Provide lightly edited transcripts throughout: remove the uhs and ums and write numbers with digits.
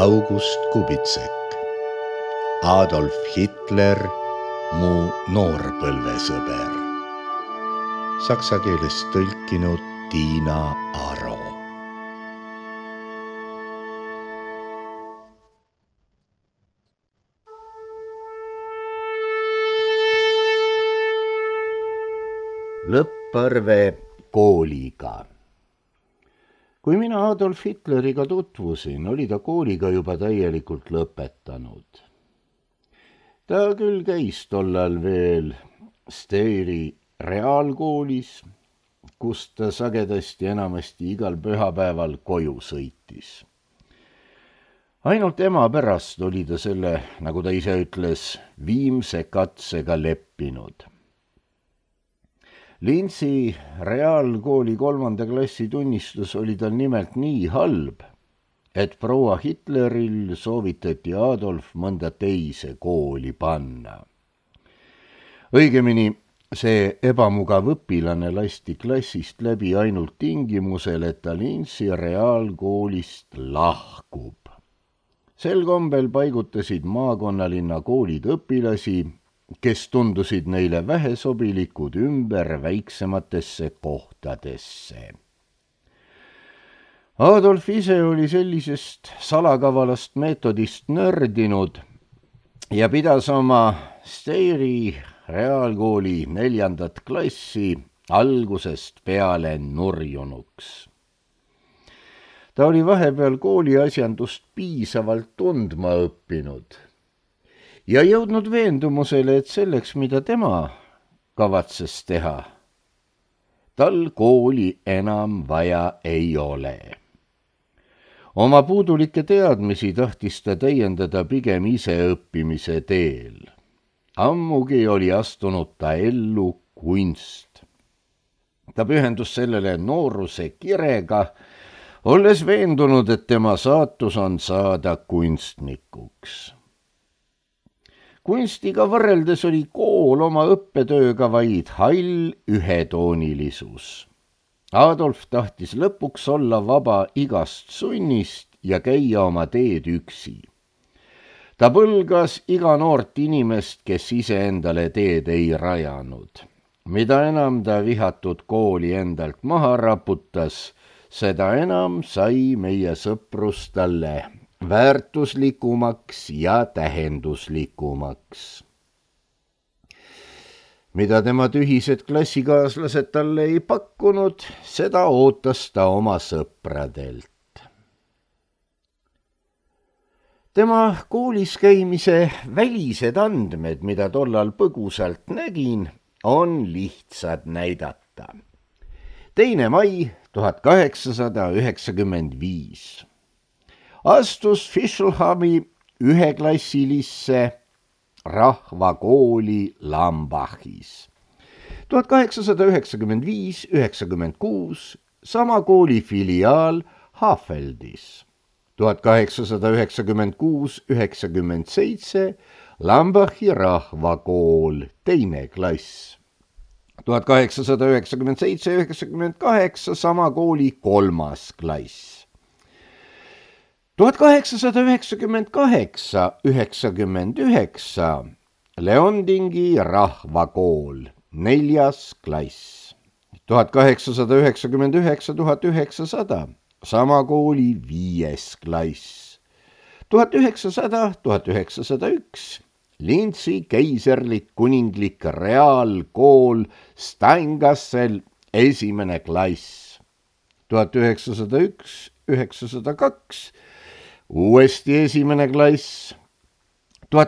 August Kubitsek, Adolf Hitler, mu noorpõlvesõber. Saksa keelest tõlkinud Tiina Aro. Lõpparve kooliga. Kui mina Adolf Hitleriga tutvusin, oli ta kooliga juba täielikult lõpetanud. Ta küll käis tollal veel Steyri reaalkoolis, kust ta sagedasti enamasti igal pühapäeval koju sõitis. Ainult ema pärast oli ta selle, nagu ta ise ütles, viimse katsega leppinud. Linzi reaalkooli 3. klassi tunnistus oli tal nimelt nii halb, et proua Hitleril soovitati Adolf mõnda teise kooli panna. Õigemini, see ebamugav õpilane lasti klassist läbi ainult tingimusel, et ta Linzi reaalkoolist lahkub. Sel kombel paigutasid maakonnalinna koolid õpilasi, kes tundusid neile vähesobilikud ümber väiksematesse kohtadesse. Adolf ise oli sellisest salakavalast meetodist nördinud ja pidas oma Steyri reaalkooli 4. klassi algusest peale nurjunuks. Ta oli vahepeal kooliasjandust piisavalt tundma õppinud ja jõudnud veendumusele, et selleks, mida tema kavatses teha, tal kooli enam vaja ei ole. Oma puudulikke teadmisi tahtis ta täiendada pigem ise õppimise teel. Ammugi oli astunud ta ellu kunst. Ta pühendus sellele nooruse kirega, olles veendunud, et tema saatus on saada kunstnikuks. Kunstiga võrreldes oli kool oma õppetööga vaid hall ühetoonilisus. Adolf tahtis lõpuks olla vaba igast sunnist ja käia oma teed üksi. Ta põlgas iga noort inimest, kes iseendale teed ei rajanud. Mida enam ta vihatud kooli endalt maha raputas, seda enam sai meie sõprus talle väärtuslikumaks ja tähenduslikumaks. Mida tema tühised klassikaaslased talle ei pakkunud, seda ootas ta oma sõpradelt. Tema koolis käimise välised andmed, mida tollal põgusalt nägin, on lihtsad näidata. 2. mai 1895. Astus Fischlhami 1-klassilisse rahvakooli Lambachis. 1895-96 sama kooli filiaal Hafeldis. 1896-97 Lambachi rahvakool 2. klass. 1897-98 sama kooli 3. klass. 1898-99 Leondingi rahvakool 4. klass. 1899-1900 sama kooli 5. klass. 1900-1901 Linzi keiserlik kuninglik reaalkool Steingassel 1. klass. 1901-1902 uuesti 1. klass. 1902-1903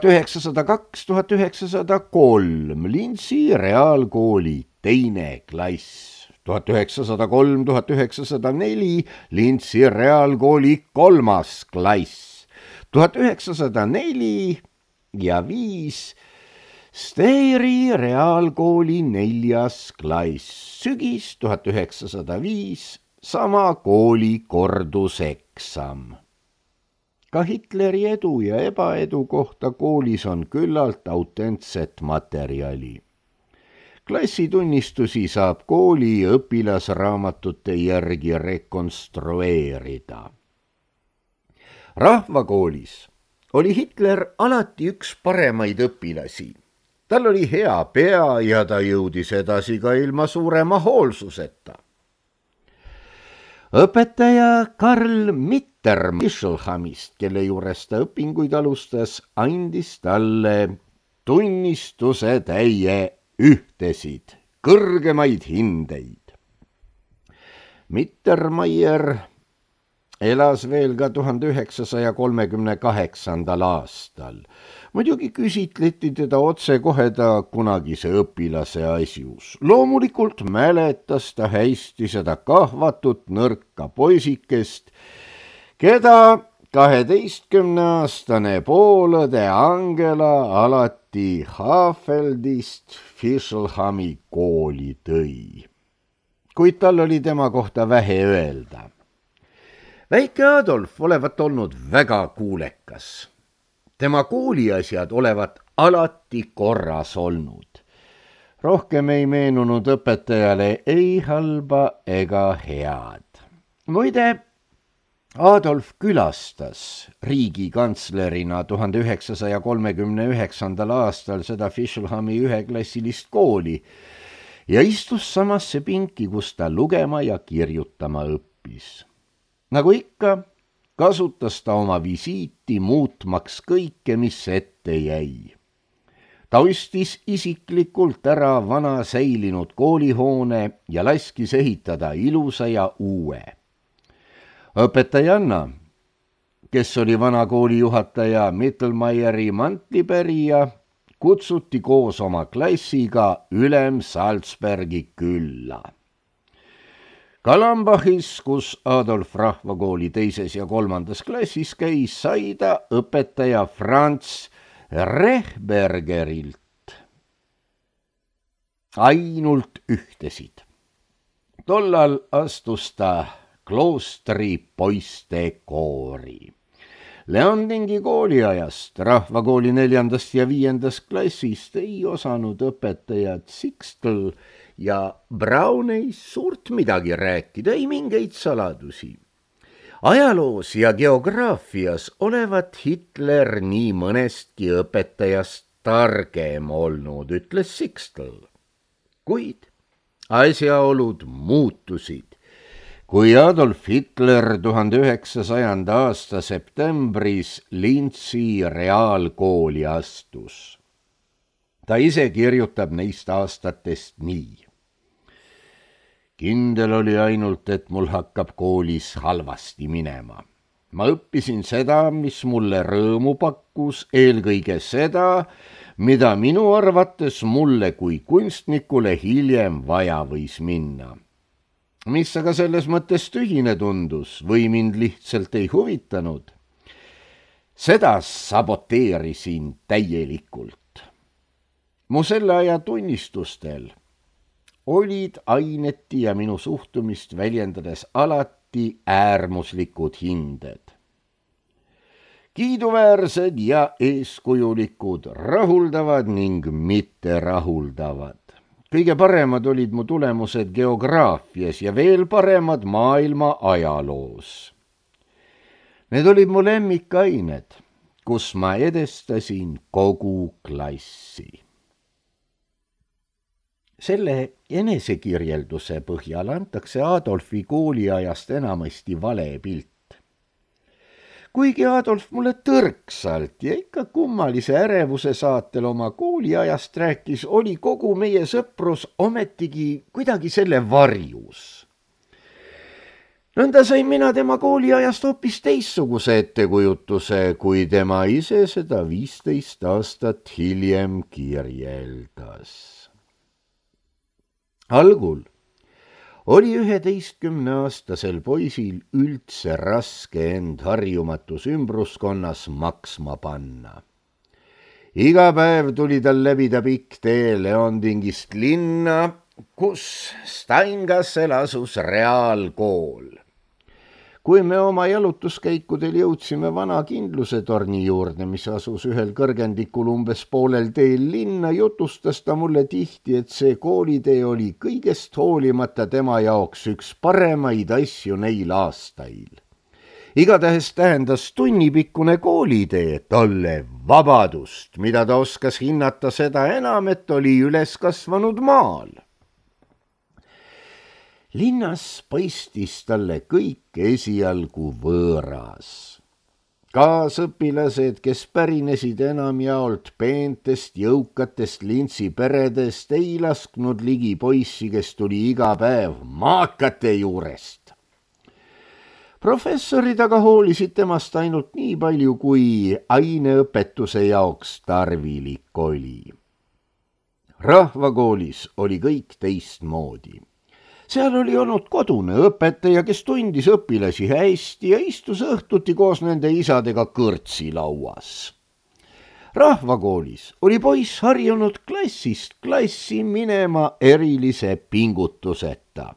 Linzi reaalkooli 2. klass. 1903-1904 Linzi reaalkooli 3. klass. 1904 ja 5 Steyri reaalkooli 4. klass. Sügis 1905 sama kooli korduseksam. Ka Hitleri edu ja ebaedu kohta koolis on küllalt autentset materjali. Klassitunnistusi saab kooli õpilasraamatute järgi rekonstrueerida. rahvakoolis oli Hitler alati üks paremaid õpilasi. Tal oli hea pea ja ta jõudis edasi ka ilma suurema hoolsuseta. Õpetaja Karl Mittermeischelhamist, kelle juures ta õpinguid alustas, andis talle tunnistuse täie ühtesid, kõrgemaid hindeid. Mittermeier elas veel ka 1938. aastal. Muidugi küsitleti teda otsekohe ta kunagise õpilase asjus. Loomulikult mäletas ta hästi seda kahvatut nõrka poisikest, keda 12-aastane poolõde Angela alati Hafeldist Fischelhami kooli tõi. Kuid tal oli tema kohta vähe öelda. Väike Adolf olevat olnud väga kuulekas. Tema kooliasjad olevat alati korras olnud. Rohkem ei meenunud õpetajale ei halba ega head. Muide, Adolf külastas riigikantslerina 1939. aastal seda Fischelhami üheklassilist kooli ja istus samasse pinki, kus ta lugema ja kirjutama õppis. Nagu ikka, kasutas ta oma visiiti muutmaks kõike, mis ette jäi. Ta ostis isiklikult ära vana säilinud koolihoone ja laskis ehitada ilusa ja uue. Õpetajanna, kes oli vana koolijuhataja Mittelmeieri mantlipärija, kutsuti koos oma klassiga ülem Salzbergi külla. Kalambachis, kus Adolf rahvakooli 2. ja 3. klassis käis, sai ta õpetaja Franz Rehbergerilt ainult ühtesid. Tollal astus ta kloostri poiste koori. Leondingi kooliajast, rahvakooli 4. ja 5. klassist ei osanud õpetajad Sixtel ja Braun ei suurt midagi rääkida, ei mingeid saladusi. Ajaloos ja geograafias olevat Hitler nii mõnestki õpetajast targem olnud, ütles Sixtel. Kuid asjaolud muutusid, kui Adolf Hitler 1900. aasta septembris Linzi reaalkooli astus. Ta ise kirjutab neist aastatest nii. Kindel oli ainult, et mul hakkab koolis halvasti minema. Ma õppisin seda, mis mulle rõõmu pakkus, eelkõige seda, mida minu arvates mulle kui kunstnikule hiljem vaja võis minna. Mis aga selles mõttes tühine tundus või mind lihtsalt ei huvitanud, seda saboteerisin täielikult. Mu selle aja tunnistustel olid aineti ja minu suhtumist väljendades alati äärmuslikud hinded. Kiiduväärsed ja eeskujulikud, rahuldavad ning mitte rahuldavad. Kõige paremad olid mu tulemused geograafias ja veel paremad maailma ajaloos. Need olid mu lemmikained, kus ma edestasin kogu klassi. Selle enesekirjelduse põhjal antakse Adolfi kooliajast enamasti vale pilt. Kuigi Adolf mulle tõrksalt ja ikka kummalise ärevuse saatel oma kooliajast rääkis, oli kogu meie sõprus ometigi kuidagi selle varjus. Nõnda sain mina tema kooliajast hoopis teistsuguse ettekujutuse, kui tema ise seda 15 aastat hiljem kirjeldas. Algul oli 11-aastasel poisil üldse raske end harjumatus ümbruskonnas maksma panna. Iga päev tuli tal läbida pikk tee Leondingist linna, kus Steingassel asus reaalkool. Kui me oma jalutuskäikudel jõudsime vana kindluse torni juurde, mis asus ühel kõrgendikul umbes poolel teel linna, jutustas ta mulle tihti, et see koolitee oli kõigest hoolimata tema jaoks üks paremaid asju neil aastail. Igatahes tähendas tunnipikkune koolitee talle vabadust, mida ta oskas hinnata seda enam, et oli üles kasvanud maal. Linnas paistis talle kõik esialgu võõras. Kaasõpilased, kes pärinesid enamjaolt peentest jõukatest lintsiperedest, ei lasknud ligi poissi, kes tuli iga päev maakate juurest. Professorid aga hoolisid temast ainult nii palju, kui aineõpetuse jaoks tarvilik oli. Rahvakoolis oli kõik teistmoodi. Seal oli olnud kodune õpetaja, kes tundis õpilasi hästi ja istus õhtuti koos nende isadega kõrtsilauas. Rahvakoolis oli poiss harjunud klassist klassi minema erilise pingutuseta.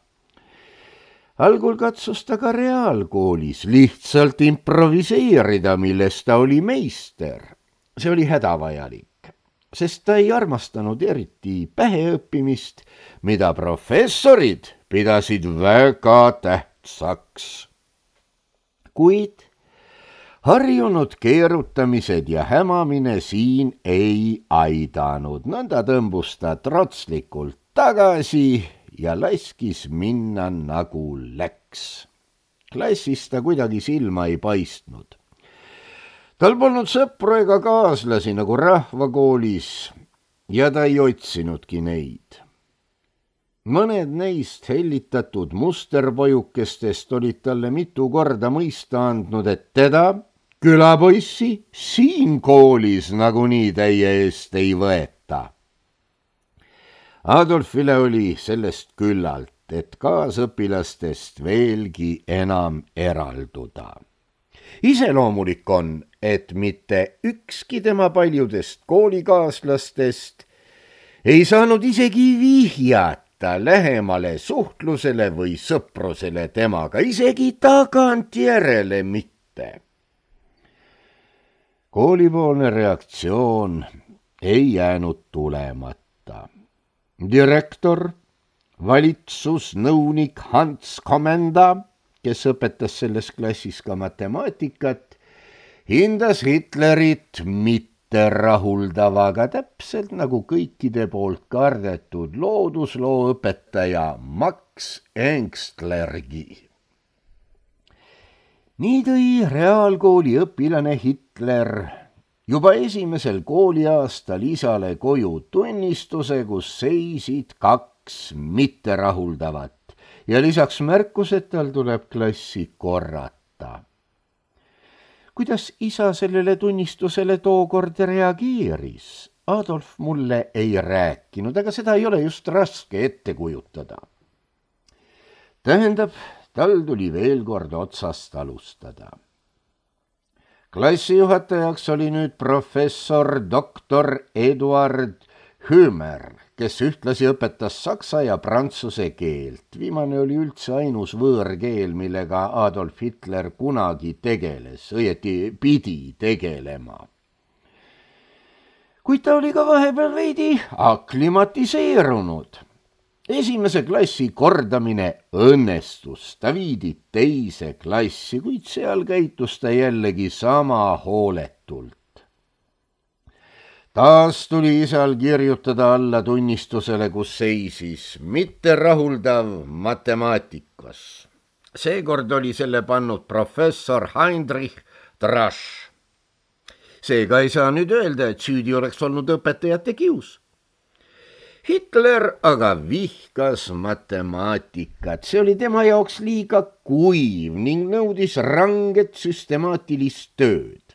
Algul katsus ta ka reaalkoolis lihtsalt improviseerida, milles ta oli meister. See oli hädavajalik, sest ta ei armastanud eriti päheõppimist, mida professorid pidasid väga tähtsaks. Kuid harjunud keerutamised ja hämamine siin ei aidanud. Nõnda tõmbus ta trotslikult tagasi ja laskis minna nagu läks. Klassis ta kuidagi silma ei paistnud. Tal polnud sõpru ega kaaslasi nagu rahvakoolis ja ta ei otsinudki neid. Mõned neist hellitatud musterpojukestest olid talle mitu korda mõista andnud, et teda, külapoissi, siin koolis nagunii täie eest ei võeta. Adolfile oli sellest küllalt, et kaasõpilastest veelgi enam eralduda. Iseloomulik on, et mitte ükski tema paljudest koolikaaslastest ei saanud isegi vihjata lähemale suhtlusele või sõprusele temaga, isegi tagantjärele mitte. Koolipoolne reaktsioon ei jäänud tulemata. Direktor, valitsusnõunik Hans Komenda, kes õpetas selles klassis ka matemaatikat, hindas Hitlerit mitterahuldavaga, täpselt nagu kõikide poolt kardetud loodusloo õpetaja Max Engstlergi. Nii tõi reaalkooli õpilane Hitler juba esimesel kooliaastal isale koju tunnistuse, kus seisid 2 mitterahuldavat ja lisaks märkus, et tal tuleb klassi korrata. Kuidas isa sellele tunnistusele tookord reageeris, Adolf mulle ei rääkinud, aga seda ei ole just raske ette kujutada. Tähendab, tal tuli veel kord otsast alustada. Klassijuhatajaks oli nüüd professor doktor Eduard Hümer, kes ühtlasi õpetas saksa ja prantsuse keelt. Viimane oli üldse ainus võõrkeel, millega Adolf Hitler kunagi tegeles, õieti pidi tegelema. Kuid ta oli ka vahepeal veidi aklimatiseerunud. Esimese klassi kordamine õnnestus, ta viidi teise klassi, kuid seal käitus ta jällegi sama hooletult. Taas tuli isal kirjutada alla tunnistusele, kus seisis mitterahuldav matemaatikas. Seekord oli selle pannud professor Heinrich Drasch. Seega ei saa nüüd öelda, et süüdi oleks olnud õpetajate kius. Hitler aga vihkas matemaatikat, see oli tema jaoks liiga kuiv ning nõudis ranget süstemaatilist tööd.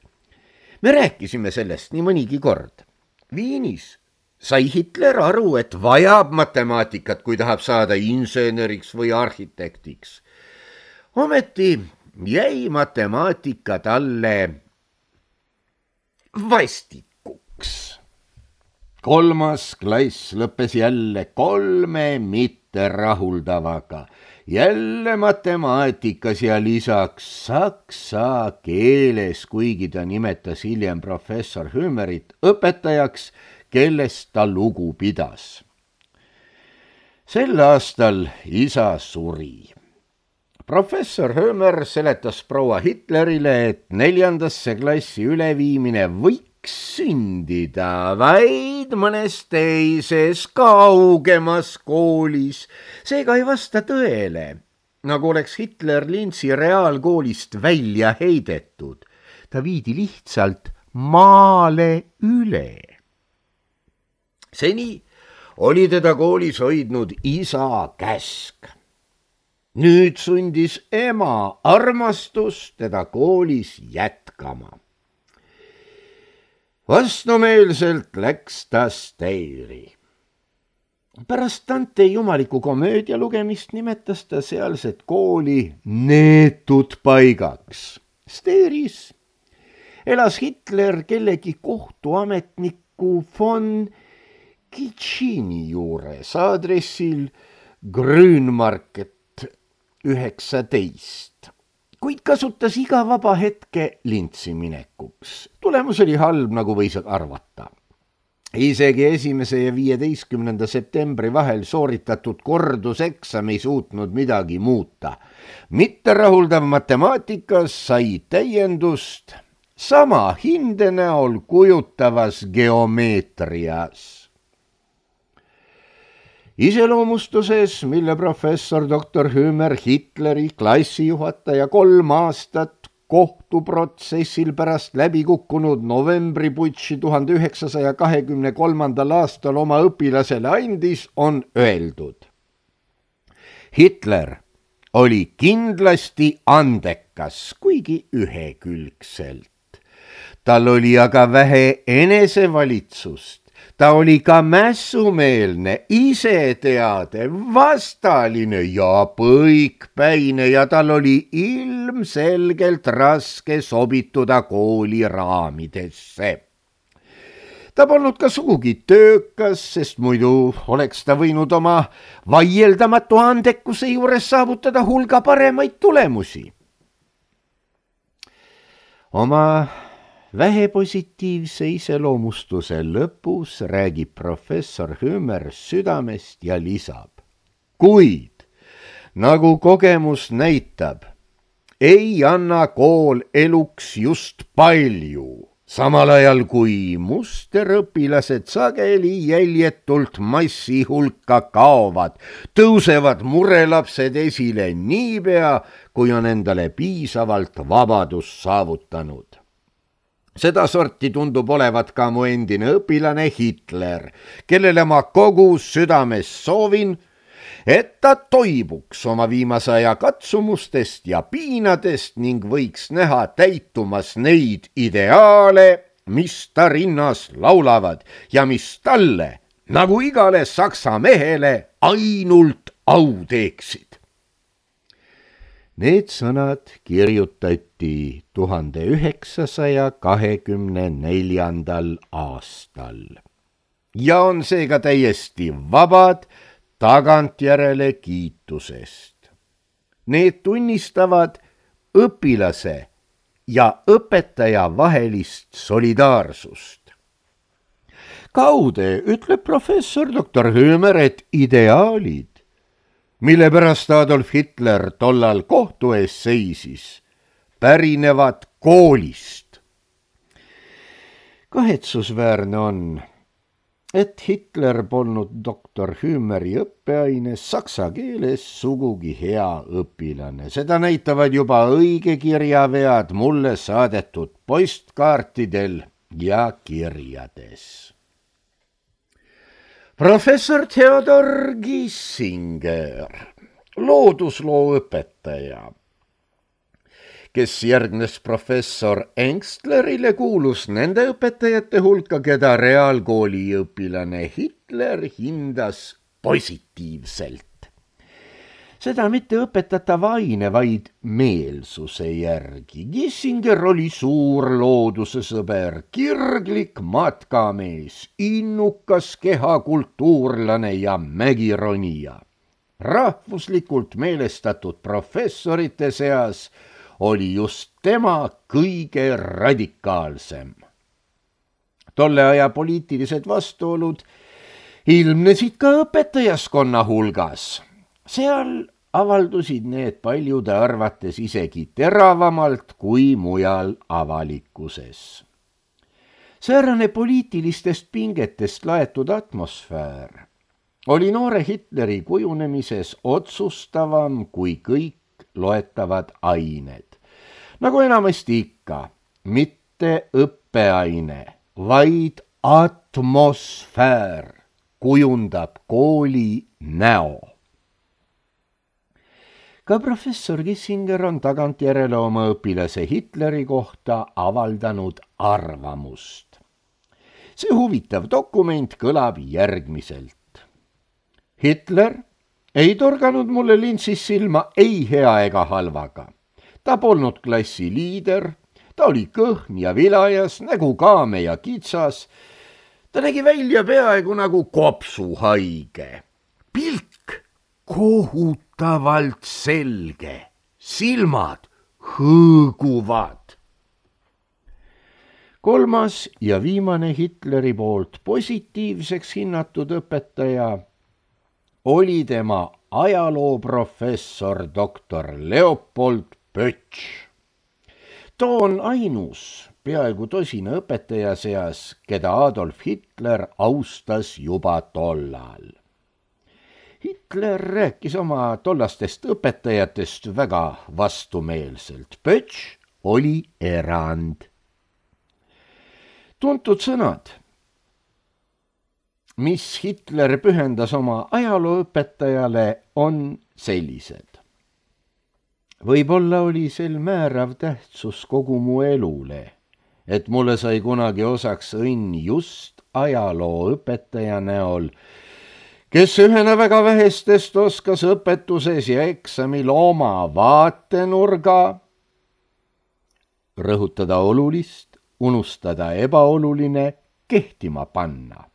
Me rääkisime sellest nii mõnigi kord. Viinis sai Hitler aru, et vajab matemaatikat, kui tahab saada inseneriks või arhitektiks. Ometi jäi matemaatika talle vastikuks. 3. klass lõppes jälle 3 mitterahuldavaga, jälle matemaatikas ja lisaks saksa keeles, kuigi ta nimetas hiljem professor Hümerit õpetajaks, kellest ta lugu pidas. Sel aastal isa suri. professor Hömer seletas proua Hitlerile, et 4. klassi üleviimine võiks sündida vaid mõnes teises kaugemas koolis. Seega ei vasta tõele, nagu oleks Hitler Linzi reaalkoolist välja heidetud. Ta viidi lihtsalt maale üle. Seni oli teda koolis hoidnud isa käsk. Nüüd sundis ema armastus teda koolis jätkama. Vastumeelselt läks ta Steyri. Pärast Dante jumaliku komöödia lugemist nimetas ta sealset kooli neetud paigaks. Steyris elas Hitler kellegi kohtuametniku von Kitschini juures aadressil Grünmarket 19, kuid kasutas iga vaba hetke Lintsi minekuks. Tulemus oli halb, nagu võis arvata. Isegi 1. ja 15. septembri vahel sooritatud korduseksam ei suutnud midagi muuta. Mitterahuldav matemaatikas sai täiendust sama hinde näol kujutavas geomeetrias. Iseloomustuses, mille professor Dr. Hömer Hitleri klassijuhataja 3 aastat kohtuprotsessil pärast läbikukkunud novembriputši 1923. aastal oma õpilasele andis, on öeldud. Hitler oli kindlasti andekas, kuigi ühekülgselt. Tal oli aga vähe enesevalitsust. Ta oli ka mässumeelne, iseteade, vastaline ja põikpäine ja tal oli ilmselgelt raske sobituda kooli raamidesse. Ta polnud ka sugugi töökas, sest muidu oleks ta võinud oma vaieldamatu andekuse juures saavutada hulga paremaid tulemusi. Oma vähepositiivse iseloomustuse lõpus räägib professor Hömer südamest ja lisab. Kuid, nagu kogemus näitab, ei anna kool eluks just palju, samal ajal kui musterõpilased sageli jäljetult massi hulka kaovad, tõusevad murelapsed esile niipea, kui on endale piisavalt vabadust saavutanud. Seda sorti tundub olevat ka mu endine õpilane Hitler, kellele ma kogu südames soovin, et ta toibuks oma viimase aja katsumustest ja piinadest ning võiks näha täitumas neid ideaale, mis ta rinnas laulavad ja mis talle, nagu igale saksa mehele, ainult au teeksid. Need sõnad kirjutati 1924. aastal ja on seega täiesti vabad tagantjärele kiitusest. Need tunnistavad õpilase ja õpetaja vahelist solidaarsust. Kaude ütleb professor Dr. Hömer, et ideaalid, mille pärast Adolf Hitler tollal kohtu ees seisis, pärinevad koolist. Kahetsusväärne on, et Hitler polnud Dr. Hömeri õppeaines saksa keeles sugugi hea õpilane. Seda näitavad juba õigekirjavead mulle saadetud postkaartidel ja kirjades. Professor Theodor Giesinger, loodusloo õpetaja, kes järgnes professor Engstlerile, kuulus nende õpetajate hulka, keda reaalkooli õpilane Hitler hindas positiivselt. Seda mitte õpetatava aine, vaid meelsuse järgi. Giesinger oli suur loodusesõber, kirglik matkamees, innukas kehakultuurlane ja mägironija. Rahvuslikult meelestatud professorite seas oli just tema kõige radikaalsem. Tolle aja poliitilised vastuolud ilmnesid ka õpetajaskonna hulgas. Seal avaldusid need paljude arvates isegi teravamalt kui mujal avalikkuses. Säärane poliitilistest pingetest laetud atmosfäär oli noore Hitleri kujunemises otsustavam kui kõik loetavad ained. Nagu enamasti ikka, mitte õppeaine, vaid atmosfäär kujundab kooli näo. Ka professor Kissinger on tagantjärele oma õpilase Hitleri kohta avaldanud arvamust. See huvitav dokument kõlab järgmiselt. Hitler ei torganud mulle lintsis silma ei hea ega halvaga. Ta polnud klassi liider, ta oli kõhn ja vilajas, nägu kaame ja kitsas. Ta nägi välja peaaegu nagu kopsuhaige. Pilk kohutavalt selge, silmad hõõguvad. Kolmas ja viimane Hitleri poolt positiivseks hinnatud õpetaja oli tema ajalooprofessor doktor Leopold Pötš. Too on ainus peaaegu tosina õpetaja seas, keda Adolf Hitler austas juba tollal. Hitler rääkis oma tollastest õpetajatest väga vastumeelselt. Pötš oli erand. Tuntud sõnad, mis Hitler pühendas oma ajalooõpetajale, on sellised. Võib-olla oli sel määrav tähtsus kogu mu elule, et mulle sai kunagi osaks õnn just ajalooõpetaja näol, kes ühena väga vähestest oskas õpetuses ja eksamil oma vaatenurga rõhutada olulist, unustada ebaoluline, kehtima panna.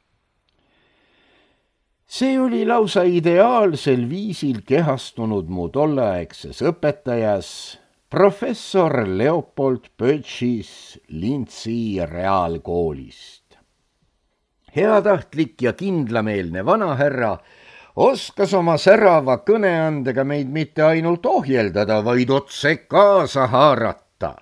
See oli lausa ideaalsel viisil kehastunud mu tolleaegses õpetajas, professor Leopold Pötšis Lintsi reaalkoolist. Heatahtlik ja kindlameelne vanahärra oskas oma särava kõneandega meid mitte ainult ohjeldada, vaid otse kaasa haarata.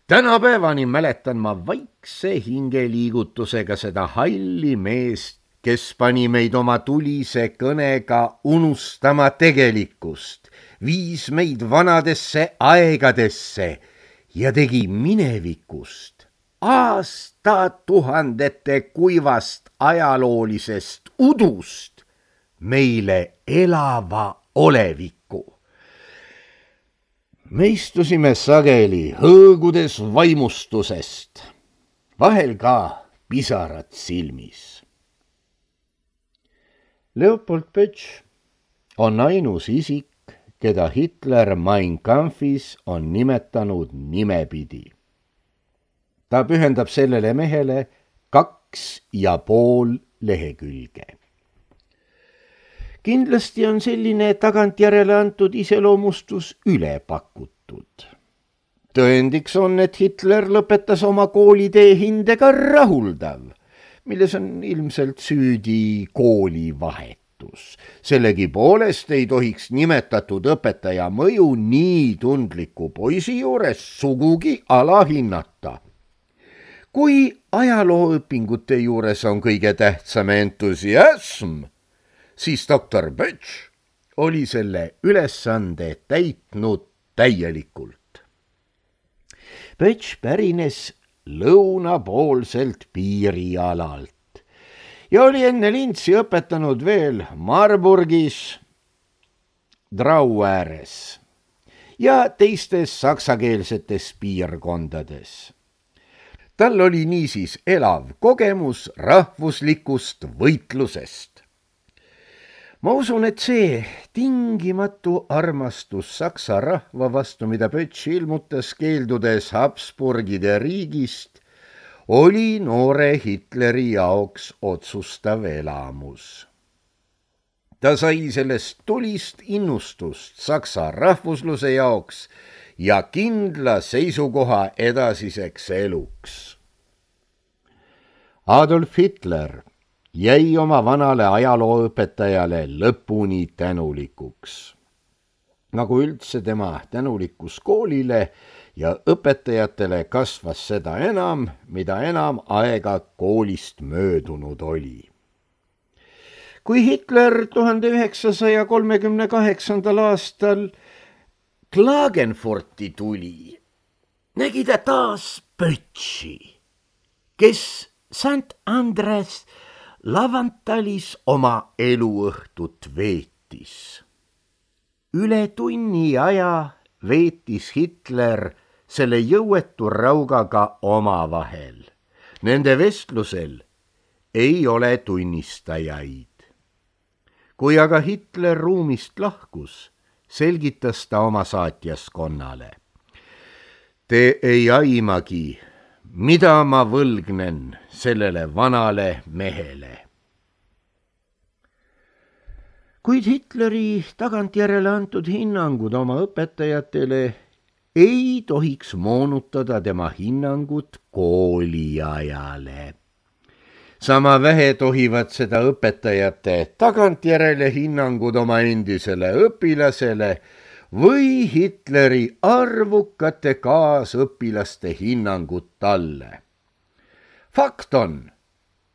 Tänapäevani mäletan ma vaikse hingeliigutusega seda halli meest, kes pani meid oma tulise kõnega unustama tegelikkust, viis meid vanadesse aegadesse ja tegi minevikust, aastatuhandete kuivast ajaloolisest udust meile elava oleviku. Me istusime sageli hõõgudes vaimustusest, vahel ka pisarad silmis. Leopold Pötš on ainus isik, keda Hitler Mein Kampfis on nimetanud nimepidi. Ta pühendab sellele mehele 2,5 lehekülge. Kindlasti on selline tagantjärele antud iseloomustus üle pakutud. Tõendiks on, et Hitler lõpetas oma koolitee hindega rahuldav, milles on ilmselt süüdi koolivahetus. Sellegipoolest ei tohiks nimetatud õpetaja mõju nii tundliku poisi juures sugugi alahinnata. Kui ajalooõpingute juures on kõige tähtsam entusiasm, siis doktor Pötš oli selle ülesande täitnud täielikult. Pötš pärines lõunapoolselt piirialalt ja oli enne Lintsi õpetanud veel Marburgis, Drau ääres ja teistes saksakeelsetes piirkondades. Tal oli niisiis elav kogemus rahvuslikust võitlusest. Ma usun, et see tingimatu armastus saksa rahva vastu, mida Pötš ilmutas keeldudes Habsburgide riigist, oli noore Hitleri jaoks otsustav elamus. Ta sai sellest tulist innustust saksa rahvusluse jaoks ja kindla seisukoha edasiseks eluks. Adolf Hitler jäi oma vanale ajalooõpetajale lõpuni tänulikuks. nagu üldse tema tänulikkus koolile ja õpetajatele kasvas seda enam, mida enam aega koolist möödunud oli. Kui Hitler 1938. aastal Klagenfurti tuli, nägi ta taas Pötši, kes St Andres Lavantalis oma eluõhtut veetis. Üle tunni aja veetis Hitler selle jõuetu raugaga omavahel. Nende vestlusel ei ole tunnistajaid. Kui aga Hitler ruumist lahkus, selgitas ta oma saatjaskonnale. Te ei aimagi, mida ma võlgnen sellele vanale mehele. Kuid Hitleri tagantjärele antud hinnangud oma õpetajatele ei tohiks moonutada tema hinnangut kooliajale. Sama vähe tohivad seda õpetajate tagantjärele hinnangud oma endisele õpilasele või Hitleri arvukate kaasõpilaste hinnangud talle. Fakt on,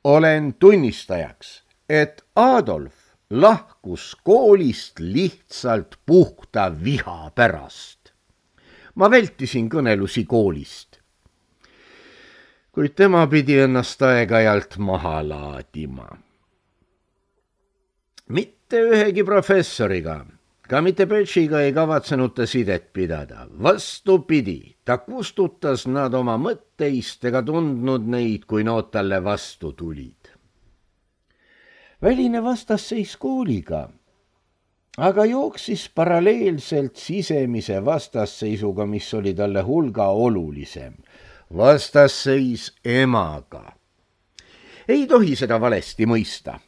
olen tunnistajaks, et Adolf lahkus koolist lihtsalt puhta viha pärast. Ma vältisin kõnelusi koolist, kuid tema pidi ennast aeg-ajalt maha laadima. Mitte ühegi professoriga, ka mitte Pötšiga ei kavatsenud ta sidet pidada. Vastupidi, ta kustutas nad oma mõtteist ega tundnud neid, kui nood talle vastu tulid. Väline vastasseis kooliga aga jooksis paralleelselt sisemise vastasseisuga, mis oli talle hulga olulisem. Vastasseis emaga. Ei tohi seda valesti mõista.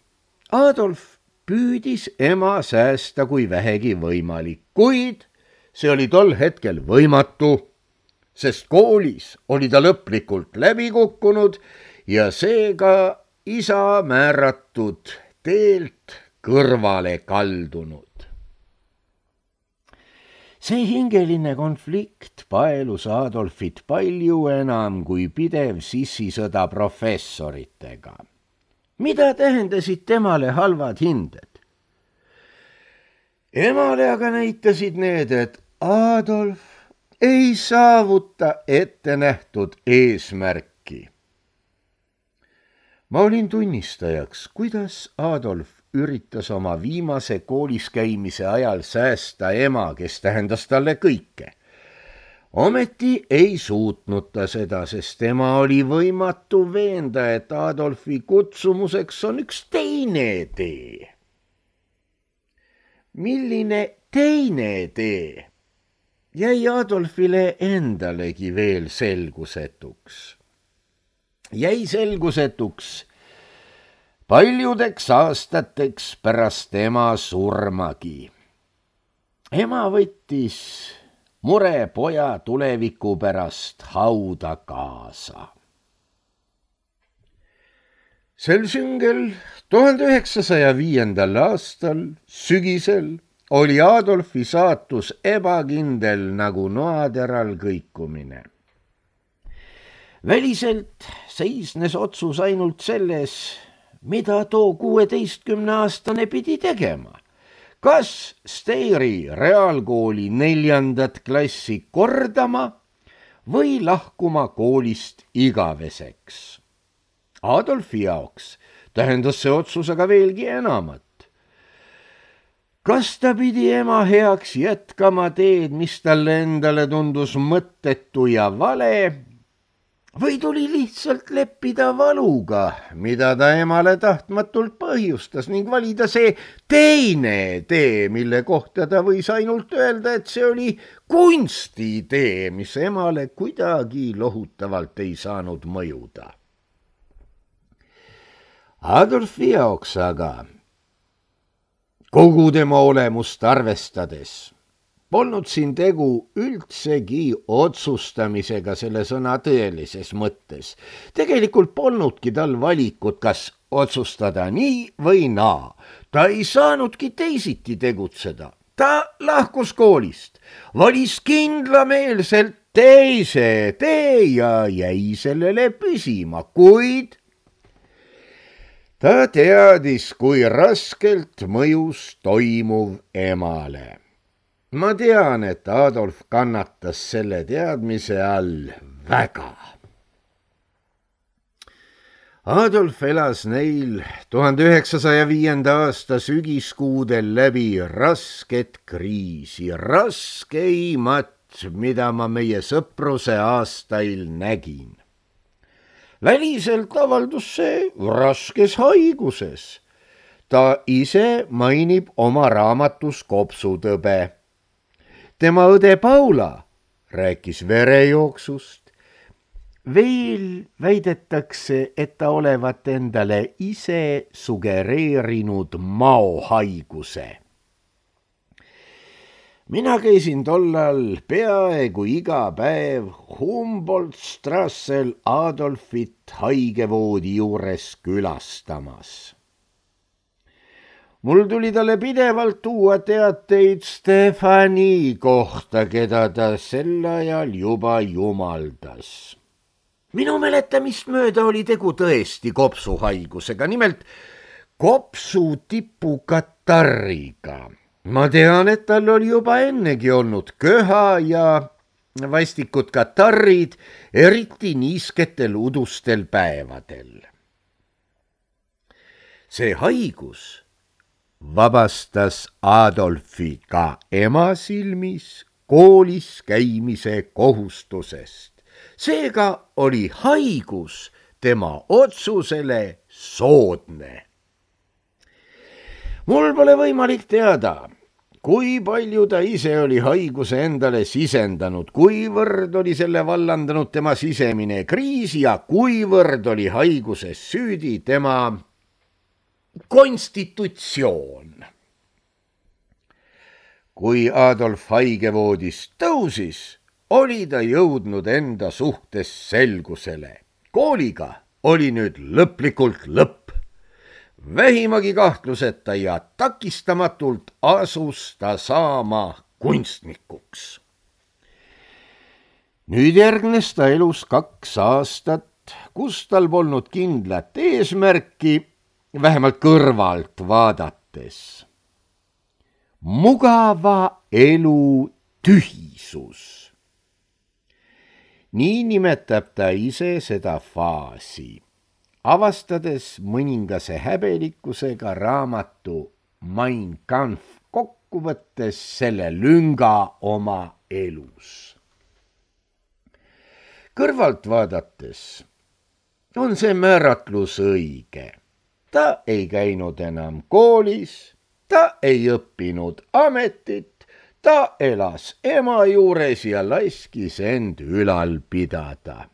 Adolf püüdis ema säästa kui vähegi võimalik, kuid see oli tol hetkel võimatu, sest koolis oli ta lõplikult läbi kukkunud ja seega isa määratud teelt kõrvale kaldunud. See hingeline konflikt paelus Adolfit palju enam kui pidev sissisõda professoritega. Mida tähendasid temale halvad hinded? Emale aga näitasid need, et Adolf ei saavuta ette nähtud eesmärki. Ma olin tunnistajaks, kuidas Adolf üritas oma viimase koolis käimise ajal säästa ema, kes tähendas talle kõike. Ometi ei suutnud ta seda, sest tema oli võimatu veenda, et Adolfi kutsumuseks on üks teine tee. Milline teine tee? Jäi Adolfile endalegi veel selgusetuks. Jäi selgusetuks paljudeks aastateks pärast ema surmagi. Ema võttis mure poja tuleviku pärast hauda kaasa. Sel süngel 1905. aastal sügisel oli Adolfi saatus ebakindel nagu noateral kõikumine. Väliselt seisnes otsus ainult selles, mida too 16-aastane pidi tegema. Kas Steyri reaalkooli 4. klassi kordama või lahkuma koolist igaveseks? Adolfi jaoks tähendas see otsus aga veelgi enamat. Kas ta pidi ema heaks jätkama teed, mis talle endale tundus mõttetu ja vale, või tuli lihtsalt leppida valuga, mida ta emale tahtmatult põhjustas, ning valida see teine tee, mille kohta ta võis ainult öelda, et see oli kunstitee, mis emale kuidagi lohutavalt ei saanud mõjuda. Adolfi jaoks aga, kogu tema olemust arvestades, polnud siin tegu üldsegi otsustamisega selle sõna tõelises mõttes. Tegelikult polnudki tal valikut, kas otsustada nii või naa. Ta ei saanudki teisiti tegutseda. Ta lahkus koolist, valis kindlameelselt teise tee ja jäi sellele püsima, kuid ta teadis, kui raskelt mõjus toimuv emale. Ma tean, et Adolf kannatas selle teadmise all väga. Adolf elas neil 1905. aasta sügiskuudel läbi rasket kriisi, raskeimat, mida ma meie sõpruse aastail nägin. Väliselt avaldus see raskes haiguses. Ta ise mainib oma raamatus kopsutõbe. Tema õde Paula rääkis verejooksust. Veel väidetakse, et ta olevat endale ise sugereerinud maohaiguse. Mina käisin tollal peaaegu iga päev Humboldt-Strassel Adolfit haigevoodi juures külastamas. Mul tuli talle pidevalt tuua teateid Stefani kohta, keda ta sel ajal juba jumaldas. Minu mäletamist mööda oli tegu tõesti kopsuhaigusega, nimelt kopsutipukatarriga. Ma tean, et tal oli juba ennegi olnud köha ja vastikud katarrid, eriti niisketel udustel päevadel. See haigus vabastas Adolfi ka ema silmis koolis käimise kohustusest. Seega oli haigus tema otsusele soodne. Mul pole võimalik teada, kui palju ta ise oli haiguse endale sisendanud, kuivõrd oli selle vallandanud tema sisemine kriis ja kuivõrd oli haiguses süüdi tema konstitutsioon. Kui Adolf haigevoodist tõusis, oli ta jõudnud enda suhtes selgusele. Kooliga oli nüüd lõplikult lõpp. Vähimagi kahtluseta ja takistamatult asus ta saama kunstnikuks. Nüüd järgnes ta elus 2 aastat, kus tal polnud kindlat eesmärki, vähemalt kõrvalt vaadates. Mugava elu tühisus. Nii nimetab ta ise seda faasi, avastades mõningase häbelikkusega raamatu Mein Kampf kokkuvõttes selle lünga oma elus. Kõrvalt vaadates on see määratlus õige. Ta ei käinud enam koolis, ta ei õppinud ametit, ta elas ema juures ja laskis end ülal pidada.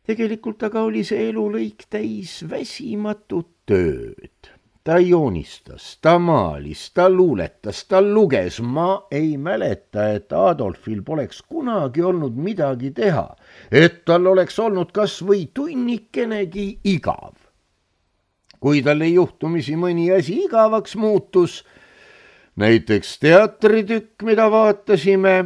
Tegelikult aga oli see elulõik täis väsimatut tööd. Ta joonistas, ta maalis, ta luuletas, ta luges. Ma ei mäleta, et Adolfil poleks kunagi olnud midagi teha, et tal oleks olnud kas või tunnikenegi igav. Kui talle juhtumisi mõni asi igavaks muutus, näiteks teatritükk, mida vaatasime,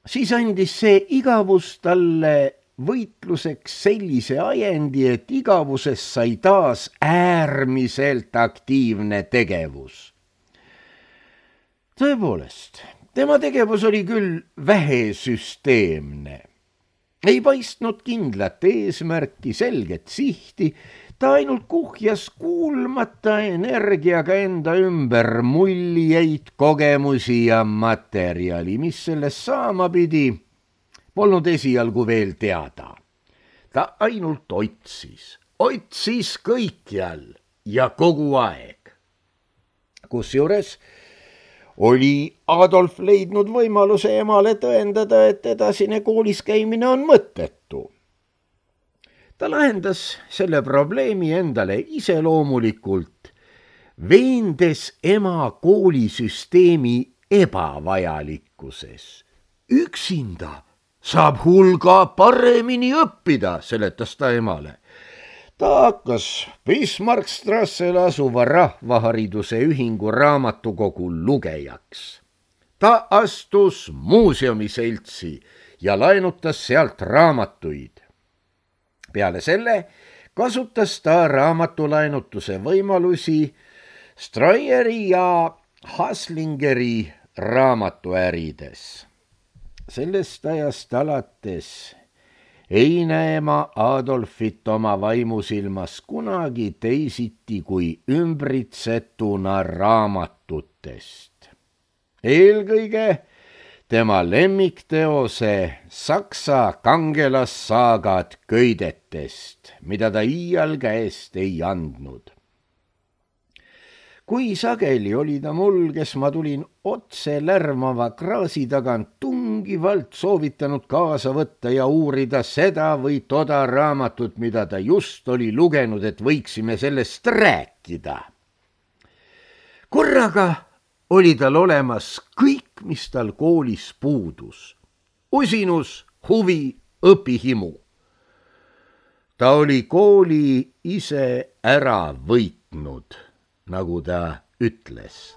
siis andis see igavus talle võitluseks sellise ajendi, et igavuses sai taas äärmiselt aktiivne tegevus. Tõepoolest, tema tegevus oli küll vähesüsteemne. Ei paistnud kindlat eesmärki, selget sihti, ta ainult kuhjas kuulmata energiaga enda ümber muljeid, kogemusi ja materjali, mis sellest saama pidi, polnud esialgu veel teada. Ta ainult otsis kõikjal ja kogu aeg. Kusjuures oli Adolf leidnud võimaluse emale tõendada, et edasine koolis käimine on mõttetu. Ta lahendas selle probleemi endale iseloomulikult, veendes ema koolisüsteemi ebavajalikkuses. Üksinda saab hulga paremini õppida, seletas ta emale. ta hakkas Bismarckstrassel asuva Rahvahariduse Ühingu raamatukogu lugejaks. ta astus muuseumiseltsi ja laenutas sealt raamatuid. peale selle kasutas ta raamatulaenutuse võimalusi Streyeri ja Haslingeri raamatuärides. sellest ajast alates ei näe ma Adolfit oma vaimusilmas kunagi teisiti kui ümbritsetuna raamatutest. eelkõige tema lemmikteose Saksa kangelassaagad köidetest, mida ta iial käest ei andnud. kui sageli oli ta mul, kes ma tulin otse lärmava kraasi tagant tungivalt soovitanud kaasa võtta ja uurida seda või toda raamatut, mida ta just oli lugenud, et võiksime sellest rääkida. korraga oli tal olemas kõik, mis tal koolis puudus. usinus, huvi, õpihimu. ta oli kooli ise ära võitnud, nagu ta ütles.